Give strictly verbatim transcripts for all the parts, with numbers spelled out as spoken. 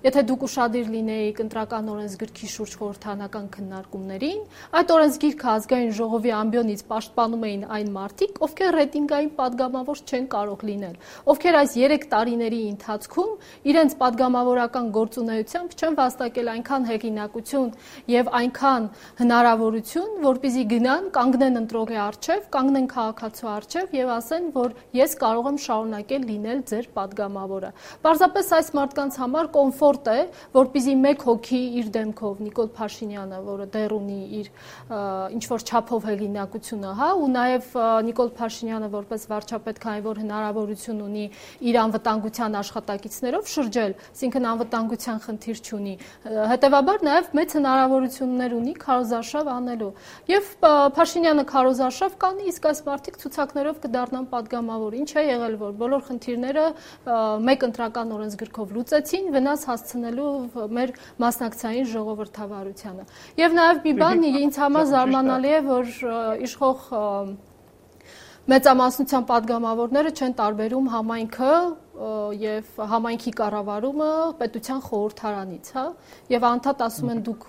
Եթե դուք ուշադիր լինեիք ընտրական օրենսգրքի շուրջ խորհրդարանական քննարկումներին, այդ օրենսգիրքը ազգային ժողովի ամբիոնից պաշտպանում էին այն մարդիկ, ովքեր ռեյտինգային падգամավոր չեն կարող լինել, ովքեր այս երեք տարիների ընթացքում իրենց падգամավորական գործունեությամբ չեն վաստակել այնքան հեղինակություն եւ այնքան հնարավորություն, որպեսզի գնան, կանգնեն ընտրողի առջև, կանգնեն քաղաքացու առջև եւ ասեն, որ ես կարող եմ շարունակել լինել ձեր падգամավորը։ Պարզապես այս մարդկանց համար կոմֆորտ է, որպեսզի մեկ հոգի իր դեմքով Նիկոլ Փաշինյանը, որը դեռ ունի իր ինչ-որ չափով հեղինակությունը, հա, ու նաև Նիկոլ Փաշինյանը որպես վարչապետ, քանի որ հնարավորություն ունի իր անվտանգության աշխատակիցներով շրջել, այսինքն անվտանգության խնդիր չունի, հետևաբար նաև մեծ հնարավորություններ ունի քարոզարշավ անելու։ Եվ Փաշինյանը քարոզարշավ կանի, իսկ այս մարդիկ ցուցակներով կդառնան падգամավոր։ Ինչ է եղել, որ բոլոր խնդիրները մեկ ընտրական օրենսգրքով լուծեցին, վնաս հասցնելու մեր մասնակցային ժողովրդավարությանը։ Եվ նաև մի բան ինձ համար զարմանալի է, որ իշխող մեծամասնության падգամավորները չեն տարբերում համայնքը եւ համայնքի կառավարումը պետության խորհրդարանից, հա, եւ անդադ ասում են դուք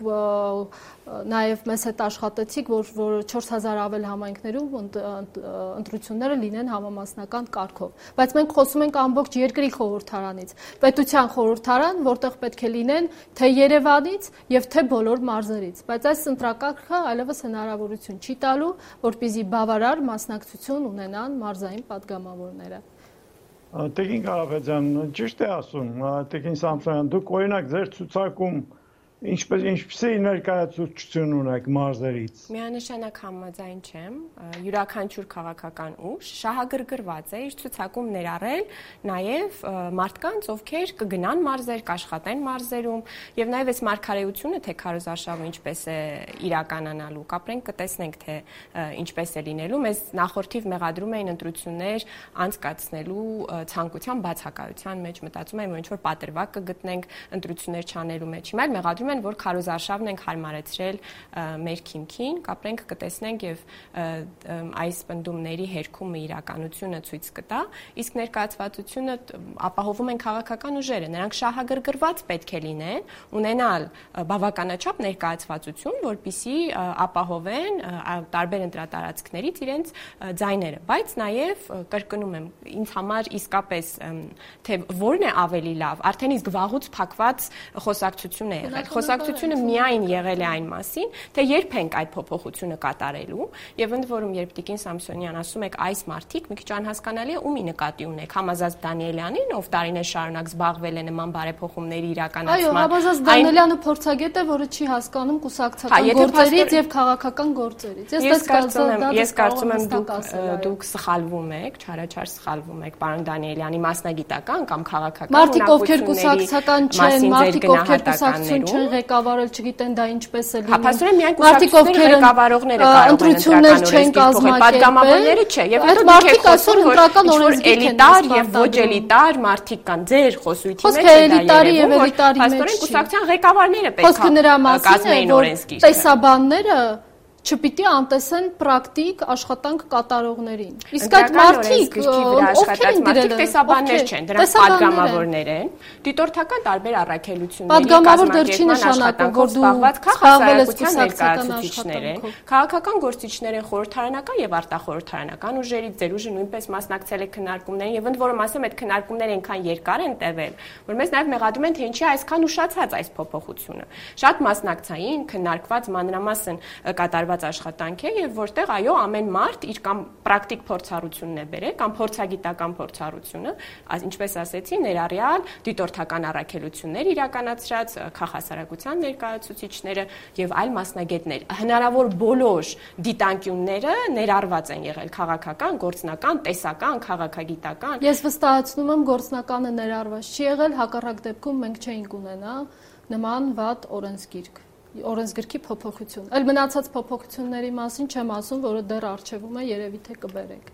նաեւ մեզ հետ աշխատեցիք, որ որ չորս հազար ավել համայնքներում ընտրությունները լինեն համամասնական կարգով, բայց մենք խոսում ենք ամբողջ երկրի խորհրդարանից, պետության խորհրդարան, որտեղ պետք է լինեն թե Երևանից եւ թե բոլոր մարզերից, բայց այս ընտրակարգը այլևս հնարավորություն չի տալու, որպեսզի բավարար մասնակցություն ունենան մարզային падգամավորները։ Տեգին Կարապետյան, ճիշտ է ասում, Տեգին Սամսոնյան, դուք օրինակ ձեր ցուցակում ինչպես ինչպիսի ներկայացուցիչ ունեք մարզերից։ Միանշանակ համաձայն չեմ, յուրաքանչյուր քաղաքական ուժ շահագրգռված է իր ցուցակում ներառել նաև մարդկանց, ովքեր կգնան մարզեր, կաշխատեն մարզերում, եւ նաև այս մարգարեությունը, թե քարոզարշավը ինչպես է իրականանալու, կապրենք կտեսնենք, թե ինչպես է լինելու, մեզ նախորդիվ մեղադրում էին ընտրություններ անցկացնելու ցանկության բացակայության մեջ, մտածում եմ, որ ինչ-որ պատրվակ կգտնենք ընտրություններ չանելու մեջ, հիմա մեղադրում են, որ քարոզարշավն ենք հարմարեցրել մեր քիմքին, կապրենք կտեսնենք եւ այս պնդումների հերքումը իրականությունը ցույց կտա, իսկ ներկայացվածությունը ապահովում են քաղաքական ուժերը, նրանք շահագրգռված պետք է լինեն, ունենալ բավականաչափ ներկայացվածություն, որպեսզի ապահովեն տարբեր ընտրատարածքներից իրենց ձայները, բայց նաեւ կրկնում եմ, ինձ համար իսկապես թե որն է ավելի լավ, արդեն իսկ վաղուց փակված խոսակցություն է եղել։ Խոսակցությունը միայն եղել է այն մասին, թե երբ ենք այդ փոփոխությունը կատարելու, եւ ընդ որում երբ Տիկին Սամսոնյան ասում եք այս մարդիկ, մի քիչ անհասկանալի է ումի նկատի ունեք, Համազած Դանիելյանին, ով տարիներ շարունակ զբաղվել է նման բարեփոխումների իրականացման։ Այո, Համազած Դանիելյանը փորձագետ է, որը չի հասկանում կուսակցական գործերից եւ քաղաքական գործերից։ Ես կարծում եմ դուք դուք սխալվում եք, չարաչար սխալվում եք, պարոն Դանիելյանի մասնագիտական կամ քաղաքական մարդիկ, ովքեր կուսակցական չեն, մարդիկ, ովքեր կուսակցություն չեն ղեկավարել, չգիտեն դա ինչպես է լինում։ Հապասորեն միայն կուսակցությունների ղեկավարողները կարող են ընտրություններ չեն կազմակերպել, падգամավորները չէ, եւ այդ մարդիկ այսօր ընտրական օրենսգիրք են էլիտար եւ ոչ էլիտար մարդիկ կան ձեր խոսույթի մեջ, խոսքը էլիտարի եւ էլիտարի մեջ չի։ Կուսակցության ղեկավարները պետք է կազմեին օրենսգիր։ Տեսաբանները չպիտի անտեսեն պրակտիկ աշխատանք կատարողներին։ Իսկ այդ մարդիկ, ովքեր են դրել, տեսաբաններ չեն, դրանք падգամավորներ են, դիտորդական տարբեր առաքելությունների падգամավոր դեռ չի նշանակում, որ դու զբաղվել ես կուսակցական ներկայացուցիչներ են, քաղաքական գործիչներ են, խորհրդարանական եւ արտախորհրդարանական ուժերից, ձեր ուժը նույնպես մասնակցել է քննարկումներին եւ ընդ որում ասեմ, այդ քննարկումները այնքան երկար են տևել, որ մեզ նաեւ մեղադրում են, թե ինչի այսքան ուշացած այս փոփոխությունը։ Շատ մասնակցային, քննարկված մանրամասն կատարված աշխատանք է եւ որտեղ այո ամեն մարդ իր կամ պրակտիկ փորձառությունն է բերել կամ փորձագիտական փորձառությունը, ինչպես ասեցի, ներառյալ դիտորդական առաքելություններ իրականացրած քաղաքասարակության ներկայացուցիչները եւ այլ մասնագետներ։ Հնարավոր բոլոր դիտանկյունները ներառված են եղել քաղաքական, գործնական, տեսական, քաղաքագիտական։ Ես վստահեցնում եմ գործնականը ներառված չի եղել, հակառակ դեպքում մենք չէինք ունենա նման վատ օրենսգիրք։ Օրենսգրքի փոփոխություն։ Այլ մնացած փոփոխությունների մասին չեմ ասում, որը դեռ արժևում է, երևի թե կբերեք։